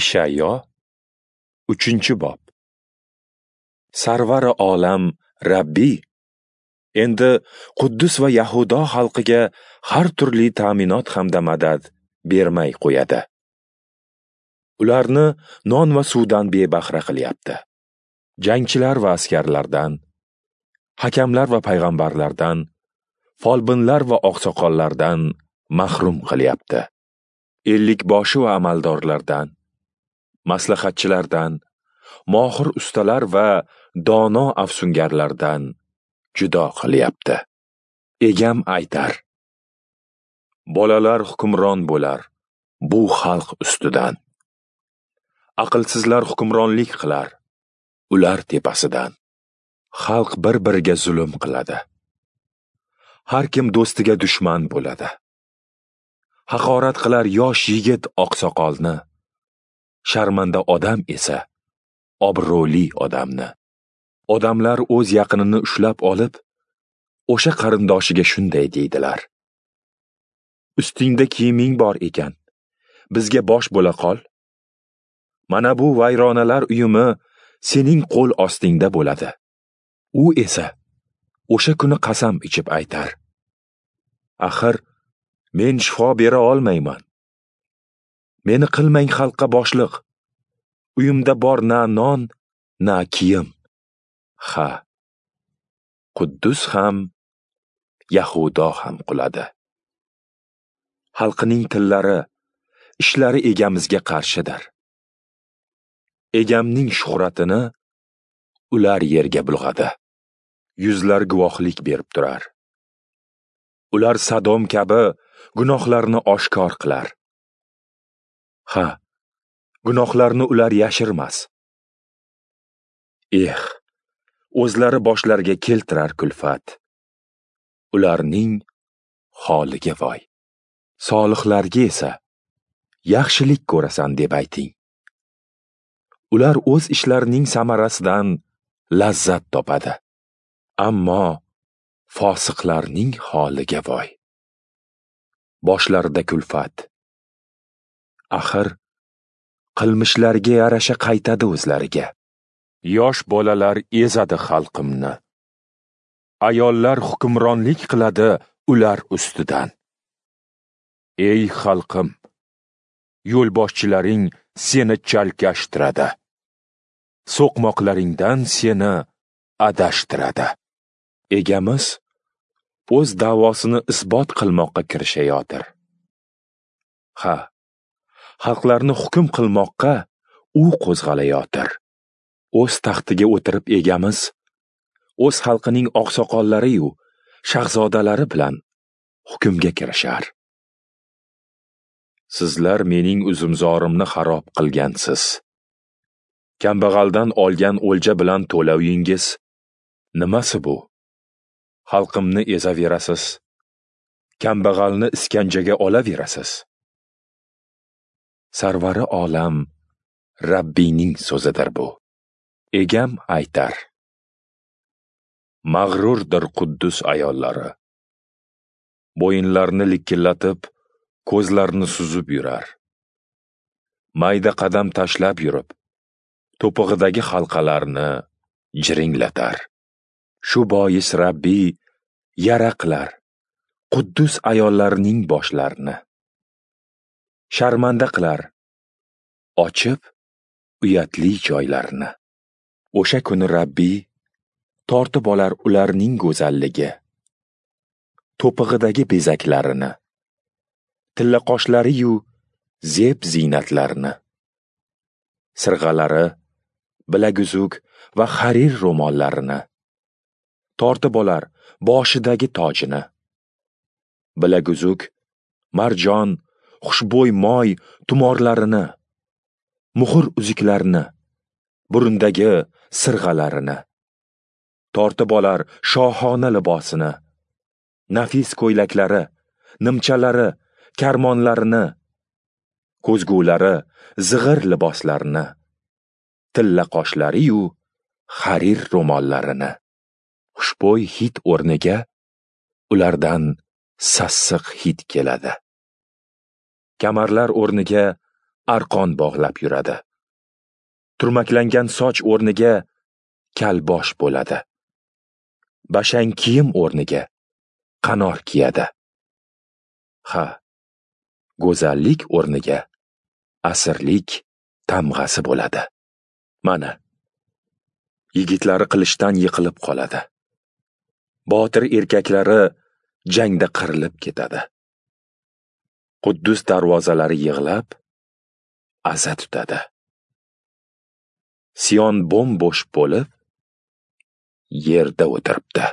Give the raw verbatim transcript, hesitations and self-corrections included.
Ishayo, uchinchi bob. Sarvari olam Rabbiy endi Quddus va Yahudo xalqiga har turli ta'minot hamda madad bermay qo'yadi. Ularni non va suvdan bebahra qilyapti. Jangchilar va askarlardan, hakamlar va payg'ambarlardan, folbinlar va oqsoqollardan mahrum qilyapti. Ellik boshi va amaldorlardan, maslahatchilardan, mohir ustalar va dono afsungarlardan judo qilyapti. Egam aytar: bolalar hukmron bo'lar bu xalq ustidan. Aqlsizlar hukmronlik qilar ular tepasidan. Xalq bir-biriga zulm qiladi. Har kim do'stiga dushman bo'ladi. Haqorat qilar yosh yigit oqsoqolni, sharmanda odam esa obro'li odamni. Odamlar o'z yaqinini ushlab olib, o'sha qarindoshiga shunday deydilar: ustingda kiyiming bor ekan, bizga bosh bo'la qol. Mana bu vayronalar uyumi sening qo'l ostingda bo'ladi. U esa o'sha kuni qasam ichib aytar: axir men shifo bera olmayman. Meni qilmang xalqqa boshliq. Uyimda bor na non, na kiyim. Ha, Quddus ham, Yahudo ham quladi. Xalqining tillari, ishlari egamizga qarshidir. Egamning shuhratini ular yerga bulg'adi. Yuzlar guvohlik berib turar. Ular Sodom kabi gunohlarni oshkor qilar. Ha, gunohlarni ular yashirmas. Eh, o'zlari boshlariga keltirar kulfat. Ularning holiga voy. Solihlarga esa yaxshilik ko'rasan deb ayting. Ular o'z ishlarining samarasidan lazzat topadi. Ammo fosiqlarning holiga voy. Boshlarida kulfat. Axir qilmishlariga yarasha qaytadi o'zlariga. Yosh bolalar ezadi xalqimni. Ayollar hukmronlik qiladi ular ustidan. Ey xalqim, yo'lboshchilaring seni chalkashtiradi. So'qmoqlaringdan seni adashtiradi. Egamiz o'z da'vosini isbot qilmoqqa kirishayotir. Ha, xalqlarni hukm qilmoqqa u qo'zg'alayotir. O'z taxtiga o'tirib egamiz o'z xalqining oqsoqollari-yu shahzodalari bilan hukmga kirishar. Sizlar mening uzumzorimni xarob qilgansiz. Kambag'aldan olgan o'lja bilan to'lovingiz nimasi bu? Xalqimni ezaverasiz. Kambag'alni iskanjaga olaverasiz. Sarvari olam Rabbiyning so'zidir bu. Egam aytar: mag'rurdir Quddus ayollari. Bo'yinlarini likillatib, ko'zlarini suzib yurar. Mayda qadam tashlab yurib, to'pig'idagi halqalarni jiringlatar. Shu bois Rabbiy yara qilar Quddus ayollarining boshlarini. Sharmanda qilar ochib uyatli joylarini. O'sha kuni Rabbiy tortib olar ularning go'zalligi, to'pig'idagi bezaklarini, tilla qoshlari-yu zeb ziynatlarini, sirg'alari, bilaguzuk va harir ro'mollarini, tortib olar boshidagi tojini, bilaguzuk, marjon, xushbo'y moy tumorlarini, muhr uzuklarini, burundagi sirg'alarini, tortib olar shohona libosini, nafis ko'ylaklari, nimchalari, karmonlarini, ko'zgulari, zig'ir liboslarini, tilla qoshlari-yu harir ro'mollarini. Xushbo'y hid o'rniga ulardan sassiq hid keladi. Kamarlar o'rniga arqon bog'lab yuradi. Turmaklangan soch o'rniga kalbosh bo'ladi. Bashang kiyim o'rniga qanor kiyadi. Ha, go'zallik o'rniga asirlik tamg'asi bo'ladi. Mana, yigitlari qilichdan yiqilib qoladi. Botir erkaklari jangda qirilib ketadi. Quddus darvozalari yig'lab, aza tutadi. Sion bo'm-bo'sh bo'lib, yerda o'tiribdi.